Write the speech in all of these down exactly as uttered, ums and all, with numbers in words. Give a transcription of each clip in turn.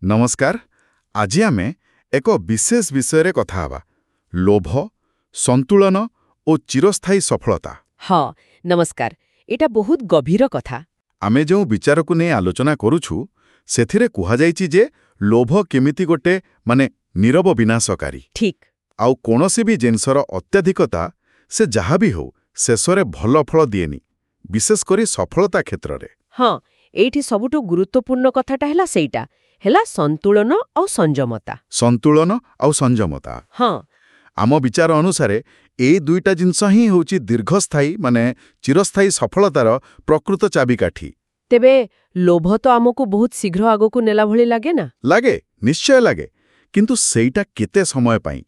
ନମସ୍କାର ଆଜି ଆମେ ଏକ ବିଶେଷ ବିଷୟରେ କଥା ହେବା ଲୋଭ ସନ୍ତୁଳନ ଓ ଚିରସ୍ଥାୟୀ ସଫଳତା ହଁ ନମସ୍କାର ଏଇଟା ବହୁତ ଗଭୀର କଥା ଆମେ ଯେଉଁ ବିଚାରକୁ ନେଇ ଆଲୋଚନା କରୁଛୁ ସେଥିରେ କୁହାଯାଇଛି ଯେ ଲୋଭ କେମିତି ଗୋଟେ ମାନେ ନୀରବ ବିନାଶକାରୀ ଠିକ୍ ଆଉ କୌଣସି ବି ଜିନିଷର ଅତ୍ୟଧିକତା ସେ ଯାହା ବି ହେଉ ଶେଷରେ ଭଲ ଫଳ ଦିଏନି ବିଶେଷ କରି ସଫଳତା କ୍ଷେତ୍ରରେ ହଁ ଏଇଠି ସବୁଠୁ ଗୁରୁତ୍ୱପୂର୍ଣ୍ଣ କଥାଟା ହେଲା ସେଇଟା ହେଲା ସନ୍ତୁଳନ ଆଉ ସଂଯମତା ସନ୍ତୁଳନ ଆଉ ସଂଯମତା ହଁ ଆମ ବିଚାର ଅନୁସାରେ ଏଇ ଦୁଇଟା ଜିନିଷ ହିଁ ହେଉଛି ଦୀର୍ଘସ୍ଥାୟୀ ମାନେ ଚିରସ୍ଥାୟୀ ସଫଳତାର ପ୍ରକୃତ ଚାବିକାଠି ତେବେ ଲୋଭ ତ ଆମକୁ ବହୁତ ଶୀଘ୍ର ଆଗକୁ ନେଲା ଭଳି ଲାଗେ ନା ଲାଗେ ନିଶ୍ଚୟ ଲାଗେ କିନ୍ତୁ ସେଇଟା କେତେ ସମୟ ପାଇଁ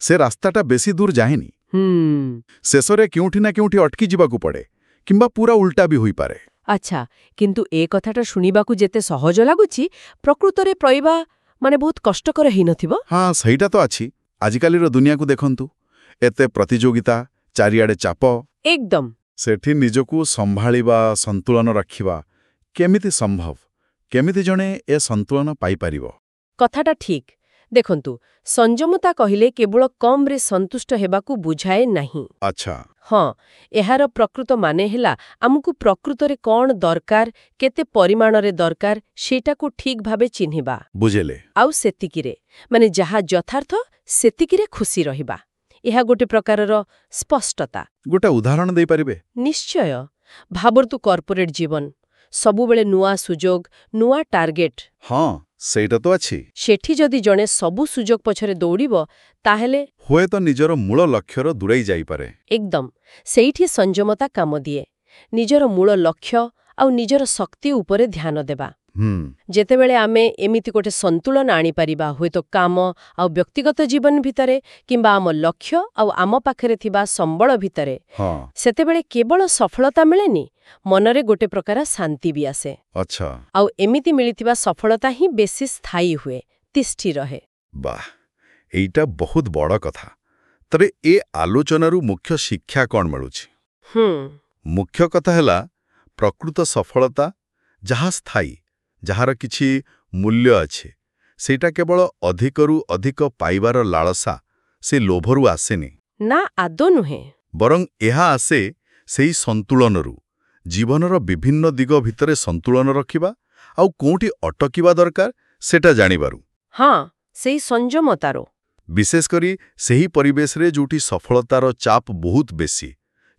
ସେ ରାସ୍ତାଟା ବେଶୀ ଦୂର ଯାଏନି ହୁଁ ଶେଷରେ କେଉଁଠି ନା କେଉଁଠି ଅଟକି ଯିବାକୁ ପଡ଼େ କିମ୍ବା ପୁରା ଉଲ୍ଟା ବି ହୋଇପାରେ ଆଚ୍ଛା କିନ୍ତୁ ଏ କଥାଟା ଶୁଣିବାକୁ ଯେତେ ସହଜ ଲାଗୁଛି ପ୍ରକୃତରେ କରିବା ମାନେ ବହୁତ କଷ୍ଟକର ହେଇନଥିବ ହଁ ସେଇଟା ତ ଅଛି ଆଜିକାଲିର ଦୁନିଆକୁ ଦେଖନ୍ତୁ ଏତେ ପ୍ରତିଯୋଗିତା ଚାରିଆଡ଼େ ଚାପ ଏକଦମ ସେଠି ନିଜକୁ ସମ୍ଭାଳିବା ସନ୍ତୁଳନ ରଖିବା କେମିତି ସମ୍ଭବ କେମିତି ଜଣେ ଏ ସନ୍ତୁଳନ ପାଇପାରିବ କଥାଟା ଠିକ୍ ଦେଖନ୍ତୁ ସଂଯମତା କହିଲେ କେବଳ କମ୍ରେ ସନ୍ତୁଷ୍ଟ ହେବାକୁ ବୁଝାଏ ନାହିଁ ଆଚ୍ଛା ହଁ ଏହାର ପ୍ରକୃତ ମାନେ ହେଲା ଆମକୁ ପ୍ରକୃତରେ କ'ଣ ଦରକାର କେତେ ପରିମାଣରେ ଦରକାର ସେଇଟାକୁ ଠିକ୍ ଭାବେ ଚିହ୍ନିବା ବୁଝିଲେ ଆଉ ସେତିକିରେ ମାନେ ଯାହା ଯଥାର୍ଥ ସେତିକିରେ ଖୁସି ରହିବା ଏହା ଗୋଟେ ପ୍ରକାରର ସ୍ପଷ୍ଟତା ଗୋଟେ ଉଦାହରଣ ଦେଇପାରିବେ ନିଶ୍ଚୟ ଭାବନ୍ତୁ କର୍ପୋରେଟ୍ ଜୀବନ ସବୁବେଳେ ନୂଆ ସୁଯୋଗ ନୂଆ ଟାର୍ଗେଟ୍ ହଁ ସେଇଟା ତ ଅଛି ସେଠି ଯଦି ଜଣେ ସବୁ ସୁଯୋଗ ପଛରେ ଦୌଡ଼ିବ ତାହେଲେ ହୁଏତ ନିଜର ମୂଳ ଲକ୍ଷ୍ୟରୁ ଦୂରେଇ ଯାଇପାରେ ଏକଦମ ସେଇଠି ସଂଯମତା କାମ ଦିଏ ନିଜର ମୂଳ ଲକ୍ଷ୍ୟ ଆଉ ନିଜର ଶକ୍ତି ଉପରେ ଧ୍ୟାନ ଦେବା ହୁଁ ଯେତେବେଳେ ଆମେ ଏମିତି ଗୋଟେ ସନ୍ତୁଳନ ଆଣିପାରିବା ହୁଏତ କାମ ଆଉ ବ୍ୟକ୍ତିଗତ ଜୀବନ ଭିତରେ କିମ୍ବା ଆମ ଲକ୍ଷ୍ୟ ଆଉ ଆମ ପାଖରେ ଥିବା ସମ୍ବଳ ଭିତରେ ହଁ ସେତେବେଳେ କେବଳ ସଫଳତା ମିଳେନି ମନରେ ଗୋଟେ ପ୍ରକାର ଶାନ୍ତି ବି ଆସେ ଆଚ୍ଛା ଆଉ ଏମିତି ମିଳିଥିବା ସଫଳତା ହିଁ ବେଶୀ ସ୍ଥାୟୀ ହୁଏ ତିଷ୍ଠି ରହେ ବାଃ ଏଇଟା ବହୁତ ବଡ଼ କଥା ତେବେ ଏ ଆଲୋଚନାରୁ ମୁଖ୍ୟ ଶିକ୍ଷା କ'ଣ ମିଳୁଛି ହୁଁ ମୁଖ୍ୟ କଥା ହେଲା ପ୍ରକୃତ ସଫଳତା ଯାହା ସ୍ଥାୟୀ ଯାହାର କିଛି ମୂଲ୍ୟ ଅଛି ସେଇଟା କେବଳ ଅଧିକରୁ ଅଧିକ ପାଇବାର ଲାଳସା ସେ ଲୋଭରୁ ଆସେନି ନା ଆଦୌ ନୁହେଁ ବରଂ ଏହା ଆସେ ସେଇ ସନ୍ତୁଳନରୁ ଜୀବନର ବିଭିନ୍ନ ଦିଗ ଭିତରେ ସନ୍ତୁଳନ ରଖିବା ଆଉ କୋଉଠି ଅଟକିବା ଦରକାର ସେଟା ଜାଣିବାରୁ ହଁ ସେଇ ସଂଯମତାରୁ ବିଶେଷ କରି ସେହି ପରିବେଶରେ ଯୋଉଠି ସଫଳତାର ଚାପ ବହୁତ ବେଶୀ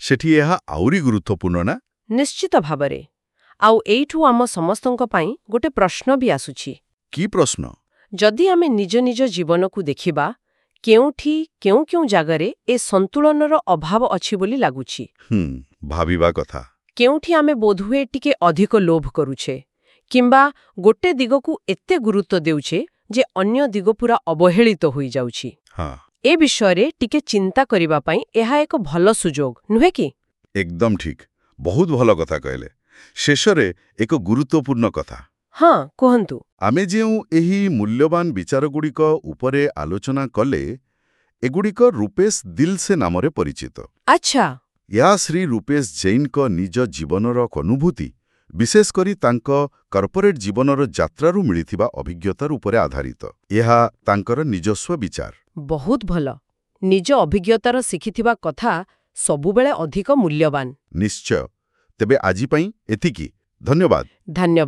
ସେଠି ଏହା ଆହୁରି ଗୁରୁତ୍ୱପୂର୍ଣ୍ଣ ନା ନିଶ୍ଚିତ ଭାବରେ ଆଉ ଏଇଠୁ ଆମ ସମସ୍ତଙ୍କ ପାଇଁ ଗୋଟେ ପ୍ରଶ୍ନ ବି ଆସୁଛି କି ପ୍ରଶ୍ନ ଯଦି ଆମେ ନିଜ ନିଜ ଜୀବନକୁ ଦେଖିବା କେଉଁଠି କେଉଁ କେଉଁ ଜାଗାରେ ଏ ସନ୍ତୁଳନର ଅଭାବ ଅଛି ବୋଲି ଲାଗୁଛି ହୁଁ ଭାବିବା କଥା କେଉଁଠି ଆମେ ବୋଧହୁଏ ଟିକେ ଅଧିକ ଲୋଭ କରୁଛେ କିମ୍ବା ଗୋଟେ ଦିଗକୁ ଏତେ ଗୁରୁତ୍ୱ ଦେଉଛେ ଯେ ଅନ୍ୟ ଦିଗ ପୁରା ଅବହେଳିତ ହୋଇଯାଉଛି ହଁ ଏ ବିଷୟରେ ଟିକେ ଚିନ୍ତା କରିବା ପାଇଁ ଏହା ଏକ ଭଲ ସୁଯୋଗ ନୁହେଁ କି ଏକଦମ ଠିକ୍ ବହୁତ ଭଲ କଥା କହିଲେ ଶେଷରେ ଏକ ଗୁରୁତ୍ୱପୂର୍ଣ୍ଣ କଥା ହଁ କୁହନ୍ତୁ ଆମେ ଯେଉଁ ଏହି ମୂଲ୍ୟବାନ ବିଚାରଗୁଡ଼ିକ ଉପରେ ଆଲୋଚନା କଲେ ଏଗୁଡ଼ିକ ରୂପେଶ ଦିଲସେ ନାମରେ ପରିଚିତ ଆଚ୍ଛା ଏହା ଶ୍ରୀ ରୂପେଶ ଜୈନଙ୍କ ନିଜ ଜୀବନର ଅନୁଭୂତି ବିଶେଷ କରି ତାଙ୍କ କର୍ପୋରେଟ୍ ଜୀବନର ଯାତ୍ରାରୁ ମିଳିଥିବା ଅଭିଜ୍ଞତା ଉପରେ ଆଧାରିତ ଏହା ତାଙ୍କର ନିଜସ୍ୱ ବିଚାର ବହୁତ ଭଲ ନିଜ ଅଭିଜ୍ଞତାର ଶିଖିଥିବା କଥା ସବୁବେଳେ ଅଧିକ ମୂଲ୍ୟବାନ ନିଶ୍ଚୟ ତେବେ ଆଜି ପାଇଁ ଏତିକି ଧନ୍ୟବାଦ ଧନ୍ୟବାଦ